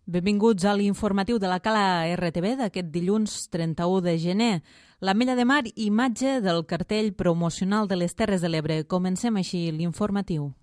Benvinguts a l'informatiu de la Cala RTV d'aquest dilluns 31 de gener. L'Ametlla de Mar, imatge del cartell promocional de les Terres de l'Ebre. Comencem així l'informatiu.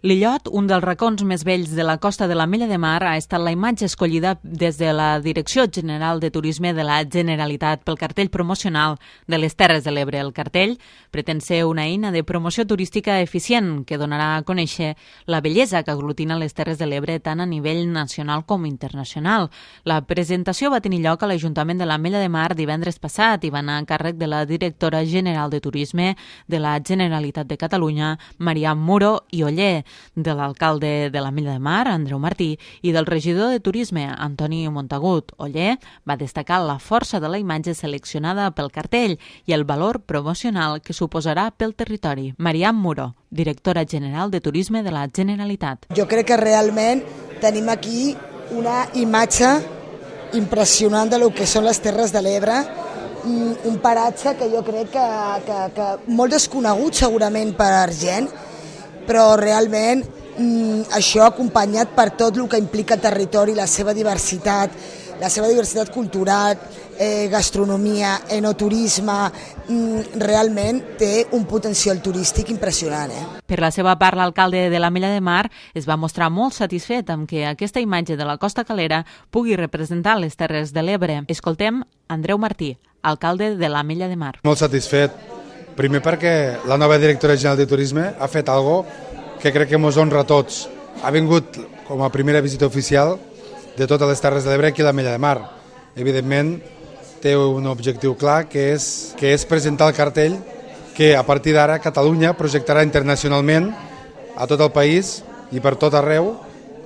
L'illot, un dels racons més vells de la costa de l'Ametlla de Mar, ha estat la imatge escollida des de la Direcció General de Turisme de la Generalitat pel cartell promocional de les Terres de l'Ebre. El cartell pretén ser una eina de promoció turística eficient que donarà a conèixer la bellesa que aglutina les Terres de l'Ebre tant a nivell nacional com internacional. La presentació va tenir lloc a l'Ajuntament de l'Ametlla de Mar divendres passat i va anar a càrrec de la Directora General de Turisme de la Generalitat de Catalunya, Mariam Muro i Oller, de l'alcalde de l'Ametlla de Mar, Andreu Martí, i del regidor de Turisme, Antoni Montagut. Oller va destacar la força de la imatge seleccionada pel cartell i el valor promocional que suposarà pel territori. Mariam Muro, directora general de Turisme de la Generalitat. Jo crec que realment tenim aquí una imatge impressionant de lo que són les Terres de l'Ebre, un paratge que jo crec que molt desconegut segurament per gent, però realment això acompanyat per tot el que implica el territori, la seva diversitat cultural, gastronomia, enoturisme, realment té un potencial turístic impressionant. Per la seva part, l'alcalde de l'Ametlla de Mar es va mostrar molt satisfet amb que aquesta imatge de la Costa Calera pugui representar les Terres de l'Ebre. Escoltem Andreu Martí, alcalde de l'Ametlla de Mar. Molt satisfet, primer perquè la nova directora general de Turisme ha fet algo que crec que ens honra a tots. Ha vingut com a primera visita oficial de totes les Terres de l'Ebre aquí a l'Ametlla de Mar. Evidentment, té un objectiu clar, que és presentar el cartell que a partir d'ara Catalunya projectarà internacionalment a tot el país i per tot arreu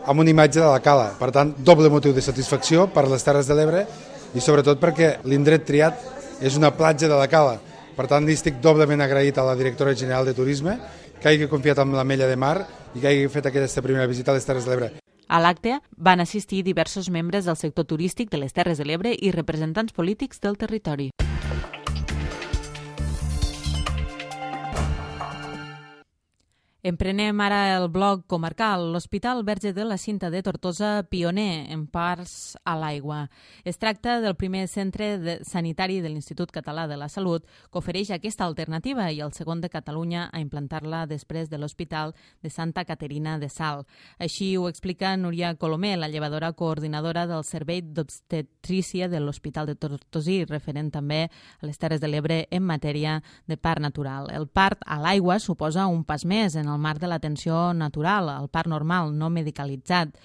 amb una imatge de la Cala. Per tant, doble motiu de satisfacció per les Terres de l'Ebre i sobretot perquè l'indret triat és una platja de la Cala. Per tant, estic doblement agraït a la directora general de Turisme que hagi confiat en l'Ametlla de Mar i que hagi fet aquesta primera visita a les Terres de l'Ebre. A l'acte van assistir diversos membres del sector turístic de les Terres de l'Ebre i representants polítics del territori. Emprenem ara el bloc comarcal. L'Hospital Verge de la Cinta de Tortosa, pioner en parts a l'aigua. Es tracta del primer centre sanitari de l'Institut Català de la Salut que ofereix aquesta alternativa i el segon de Catalunya a implantar-la després de l'Hospital de Santa Caterina de Salt. Així ho explica Núria Colomer, la llevadora coordinadora del Servei d'Obstetrícia de l'Hospital de Tortosí, referent també a les Terres de l'Ebre en matèria de part natural. El part a l'aigua suposa un pas més en el marc de l'atenció natural, el part normal, no medicalitzat.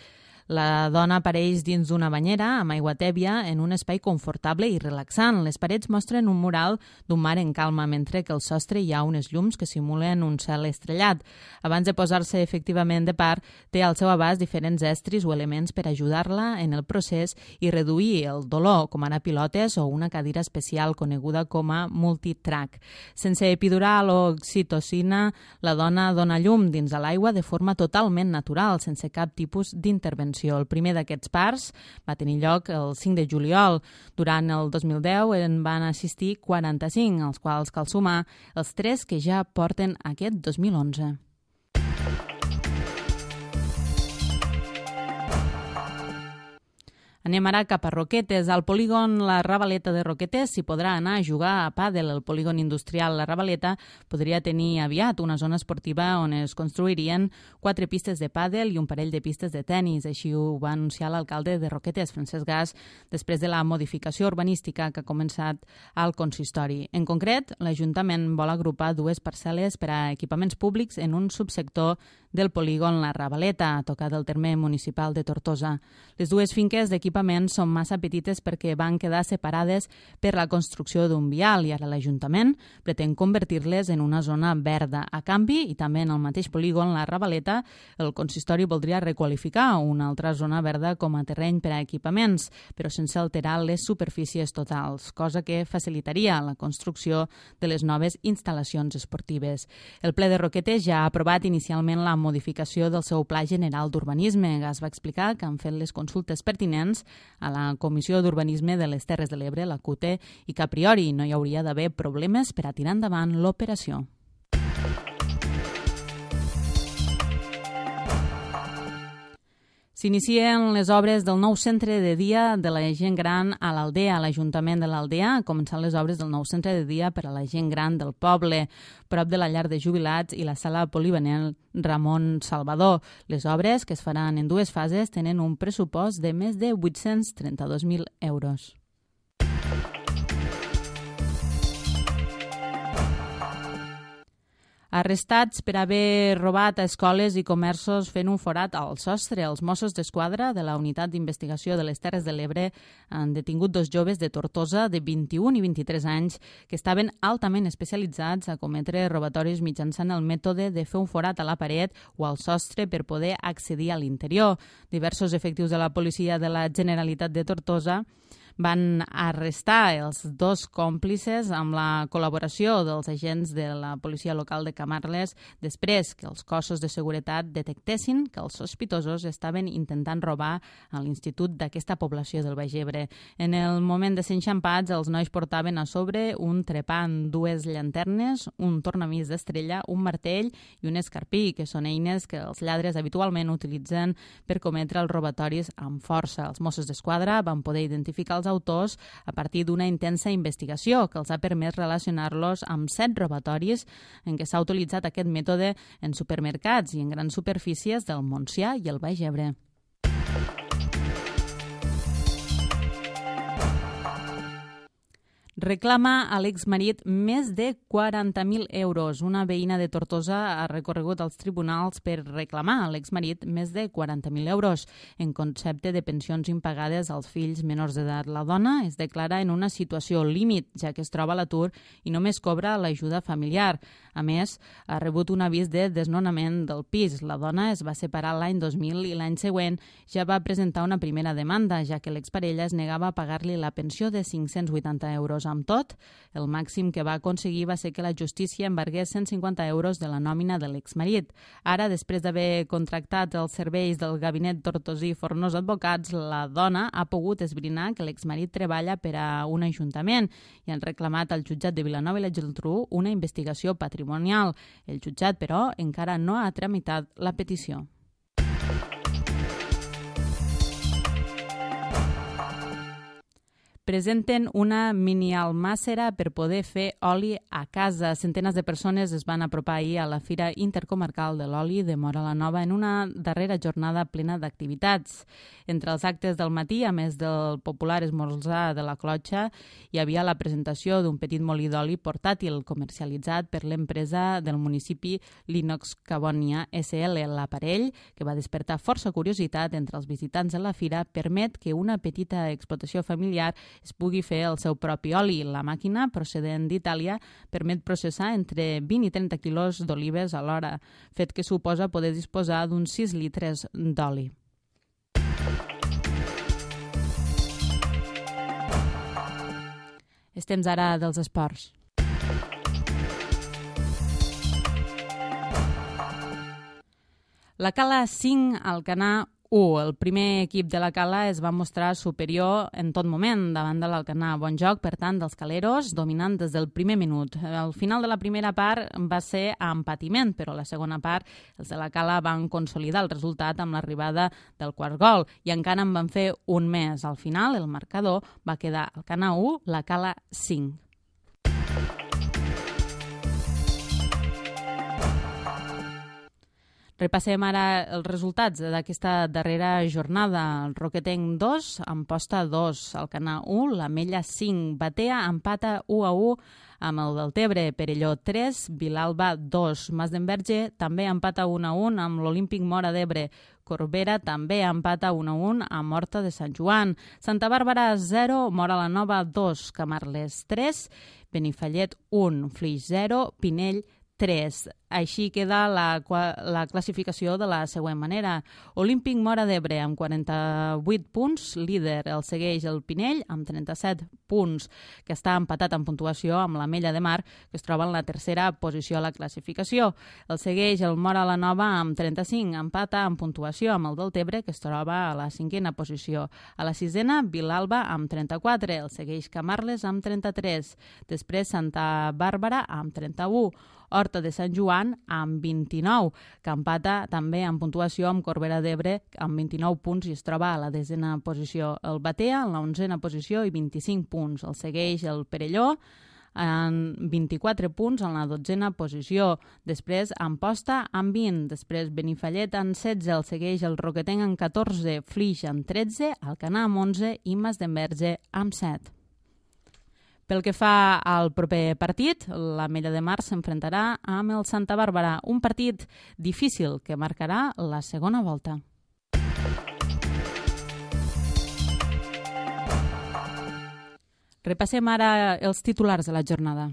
La dona apareix dins d'una banyera amb aigua tèbia en un espai confortable i relaxant. Les parets mostren un mural d'un mar en calma, mentre que al sostre hi ha unes llums que simulen un cel estrellat. Abans de posar-se efectivament de part, té al seu abast diferents estris o elements per ajudar-la en el procés i reduir el dolor, com ara pilotes o una cadira especial coneguda com a multitrack. Sense epidural o oxitocina, la dona dona llum dins de l'aigua de forma totalment natural, sense cap tipus d'intervenció. El primer d'aquests parts va tenir lloc el 5 de juliol. Durant el 2010 en van assistir 45, als quals cal sumar els 3 que ja porten aquest 2011. Anem ara cap a Roquetes. Al polígon La Ravaleta de Roquetes s'hi podrà anar a jugar a pàdel. El polígon industrial La Ravaleta podria tenir aviat una zona esportiva on es construirien 4 pistes de pàdel i un parell de pistes de tennis. Així ho va anunciar l'alcalde de Roquetes, Francesc Gas, després de la modificació urbanística que ha començat al consistori. En concret, l'Ajuntament vol agrupar 2 parcel·les per a equipaments públics en un subsector del polígon La Ravaleta, a tocar del terme municipal de Tortosa. Les 2 finques d'equipaments són massa petites perquè van quedar separades per la construcció d'un vial i ara l'Ajuntament pretén convertir-les en una zona verda. A canvi, i també en el mateix polígon La Ravaleta, el consistori voldria requalificar una altra zona verda com a terreny per a equipaments, però sense alterar les superfícies totals, cosa que facilitaria la construcció de les noves instal·lacions esportives. El ple de Roquetes ja ha aprovat inicialment la modificació del seu Pla General d'Urbanisme. Gas va explicar que han fet les consultes pertinents a la Comissió d'Urbanisme de les Terres de l'Ebre, la CUTE, i que a priori no hi hauria d'haver problemes per a tirar endavant l'operació. S'inicien les obres del nou centre de dia de la gent gran a l'Aldea. L'Ajuntament de l'Aldea ha començat les obres del nou centre de dia per a la gent gran del poble, prop de la llar de jubilats i la sala polivalent Ramon Salvador. Les obres, que es faran en dues fases, tenen un pressupost de més de 832.000 euros. Arrestats per haver robat a escoles i comerços fent un forat al sostre. Els Mossos d'Esquadra de la Unitat d'Investigació de les Terres de l'Ebre han detingut dos joves de Tortosa de 21 i 23 anys que estaven altament especialitzats a cometre robatoris mitjançant el mètode de fer un forat a la paret o al sostre per poder accedir a l'interior. Diversos efectius de la policia de la Generalitat de Tortosa van arrestar els dos còmplices amb la col·laboració dels agents de la policia local de Camarles després que els cossos de seguretat detectessin que els sospitosos estaven intentant robar a l'institut d'aquesta població del Baix Ebre. En el moment de ser enxampats, els nois portaven a sobre un trepant, dues llanternes, un tornamís d'estrella, un martell i un escarpí, que són eines que els lladres habitualment utilitzen per cometre els robatoris amb força. Els Mossos d'Esquadra van poder identificar els autors a partir d'una intensa investigació que els ha permès relacionar-los amb 7 robatoris en què s'ha utilitzat aquest mètode en supermercats i en grans superfícies del Montsià i el Baix Ebre. Reclama a l'exmarit més de 40.000 euros. Una veïna de Tortosa ha recorregut als tribunals per reclamar a l'exmarit més de 40.000 euros en concepte de pensions impagades als fills menors d'edat. La dona es declara en una situació límit, ja que es troba a l'atur i només cobra l'ajuda familiar. A més, ha rebut un avís de desnonament del pis. La dona es va separar l'any 2000 i l'any següent ja va presentar una primera demanda, ja que l'exparella es negava a pagar-li la pensió de 580 euros. Amb tot, el màxim que va aconseguir va ser que la justícia embargués 150 euros de la nòmina de l'exmarit. Ara, després d'haver contractat els serveis del gabinet tortosí Fornós Advocats, la dona ha pogut esbrinar que l'exmarit treballa per a un ajuntament i han reclamat al jutjat de Vilanova i la Geltrú una investigació patrimonial. El jutjat, però, encara no ha tramitat la petició. Presenten una mini-almàssera per poder fer oli a casa. Centenes de persones es van apropar ahir a la Fira Intercomarcal de l'Oli de Móra la Nova en una darrera jornada plena d'activitats. Entre els actes del matí, a més del popular esmorzar de la clotxa, hi havia la presentació d'un petit molí d'oli portàtil comercialitzat per l'empresa del municipi L'Inox Cabonia SL. L'aparell, que va despertar força curiositat entre els visitants de la fira, permet que una petita explotació familiar es pugui fer el seu propi oli. La màquina, procedent d'Itàlia, permet processar entre 20 i 30 quilos d'olives a l'hora, fet que suposa poder disposar d'uns 6 litres d'oli. És temps ara dels esports. La Cala 5, Alcanar 1. El primer equip de la Cala es va mostrar superior en tot moment davant de l'Alcanar. Bon joc, per tant, dels caleros, dominant des del primer minut. Al final de la primera part va ser a empatiment, però a la segona part els de la Cala van consolidar el resultat amb l'arribada del quart gol i encara en van fer un més. Al final, el marcador va quedar Alcanar 1, la Cala 5. Repassem ara els resultats d'aquesta darrera jornada. El Roquetenc 2, Amposta 2, Alcanar 1, l'Ametlla 5, Batea empata 1-1 amb el Deltebre, Perelló 3, Vilalba 2, Masdenverge també empata 1-1 amb l'Olímpic Móra d'Ebre, Corbera també empata 1-1 amb Horta de Sant Joan, Santa Bàrbara 0, Móra la Nova 2, Camarles 3, Benifallet 1, Flix 0, Pinell 3. Així queda la classificació de la següent manera. Olímpic Móra d'Ebre amb 48 punts, líder. El segueix el Pinell amb 37 punts, que està empatat en puntuació amb l'Ametlla de Mar, que es troba en la tercera posició a la classificació. El segueix el Móra la Nova amb 35, empata en puntuació amb el Deltebre, que es troba a la cinquena posició. A la sisena, Vilalba amb 34, el segueix Camarles amb 33, després Santa Bàrbara amb 31, Horta de Sant Joan amb 29, que empata també en puntuació amb Corbera d'Ebre amb 29 punts i es troba a la 10a posició. El Batea en la 11a posició i 25 punts. El segueix el Perelló en 24 punts en la 12a posició. Després Amposta amb 20, després Benifallet en 16, el segueix el Roquetenc en 14, Flix en 13, Alcanar amb 11 i Masdenverge amb 7. Pel que fa al proper partit, l'Ametlla de Mar s'enfrontarà amb el Santa Bàrbara, un partit difícil que marcarà la segona volta. Repassem ara els titulars de la jornada.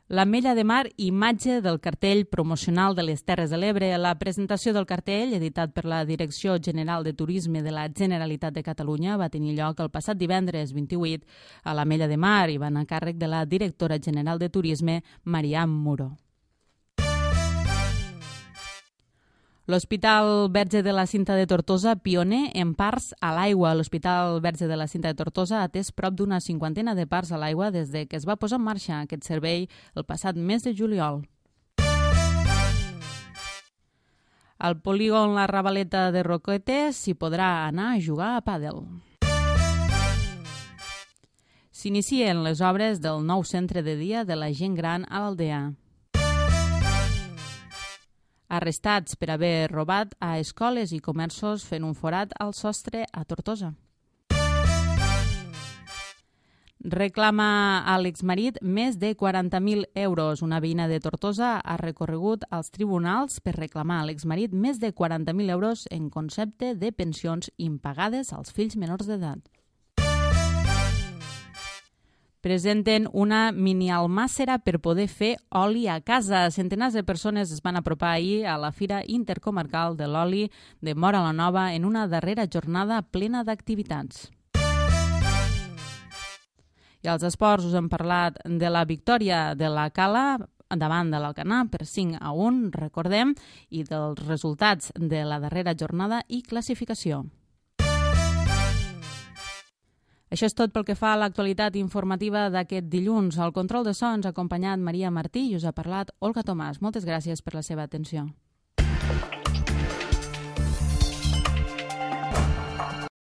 L'Ametlla de Mar, imatge del cartell promocional de les Terres de l'Ebre. La presentació del cartell, editat per la Direcció General de Turisme de la Generalitat de Catalunya, va tenir lloc el passat divendres 28 a l'Ametlla de Mar i va anar a càrrec de la directora general de Turisme, Mariam Muro. L'Hospital Verge de la Cinta de Tortosa, pioner en parts a l'aigua. L'Hospital Verge de la Cinta de Tortosa ha atès prop d'una 50 de parts a l'aigua des de que es va posar en marxa aquest servei el passat mes de juliol. Al polígon La Ravaleta de Roquetes s'hi podrà anar a jugar a pàdel. S'inicien les obres del nou centre de dia de la gent gran a l'Aldea. Arrestats per haver robat a escoles i comerços fent un forat al sostre a Tortosa. Reclama a l'exmarit més de 40.000 euros. Una veïna de Tortosa ha recorregut als tribunals per reclamar a l'exmarit més de 40.000 euros en concepte de pensions impagades als fills menors d'edat. Presenten una mini-almàssera per poder fer oli a casa. Centenars de persones es van apropar ahir a la Fira Intercomarcal de l'Oli de Móra la Nova en una darrera jornada plena d'activitats. I als esports us hem parlat de la victòria de la Cala davant de l'Alcanar per 5-1, recordem, i dels resultats de la darrera jornada i classificació. Això és tot pel que fa a l'actualitat informativa d'aquest dilluns. Al control de so ens ha acompanyat Maria Martí i us ha parlat Olga Tomàs. Moltes gràcies per la seva atenció.